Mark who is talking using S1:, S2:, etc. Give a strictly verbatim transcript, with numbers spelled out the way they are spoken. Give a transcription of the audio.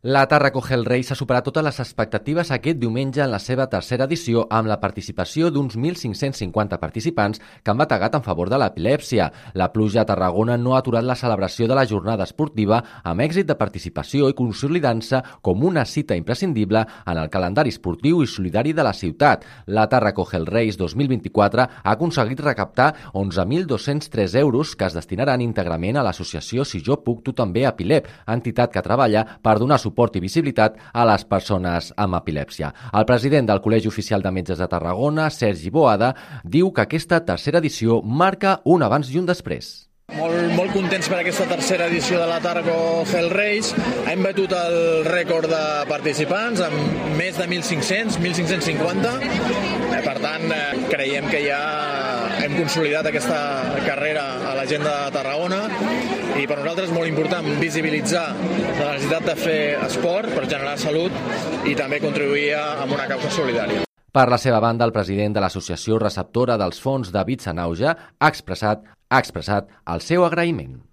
S1: La Tàrraco Hell Race ha superat totes les expectatives aquest diumenge en la seva tercera edició amb la participació d'uns mil cinc-cents cinquanta participants que han bategat en favor de l'epilèpsia. La pluja a Tarragona no ha aturat la celebració de la jornada esportiva amb èxit de participació i consolidant-se com una cita imprescindible en el calendari esportiu i solidari de la ciutat. La Tàrraco Hell Race dos mil vint-i-quatre ha aconseguit recaptar onze mil dos-cents tres euros que es destinaran íntegrament a l'associació Si jo puc, tu també Epilep, entitat que treballa per donar suport i visibilitat a les persones amb epilèpsia. El president del Col·legi Oficial de Metges de Tarragona, Sergi Boada, diu que aquesta tercera edició marca un abans i un després.
S2: Molt, molt contents per aquesta tercera edició de la Tàrraco Hell Race. Hem batut el rècord de participants amb més de mil cinc-cents, mil cinc-cents cinquanta. Per tant, creiem que ja hem consolidat aquesta carrera a la gent de Tarragona i per nosaltres és molt important visibilitzar la necessitat de fer esport per generar salut i també contribuir a una causa solidària.
S1: Per la seva banda, el president de l'associació receptora dels fons David Sanauja ha expressat, ha expressat el seu agraïment.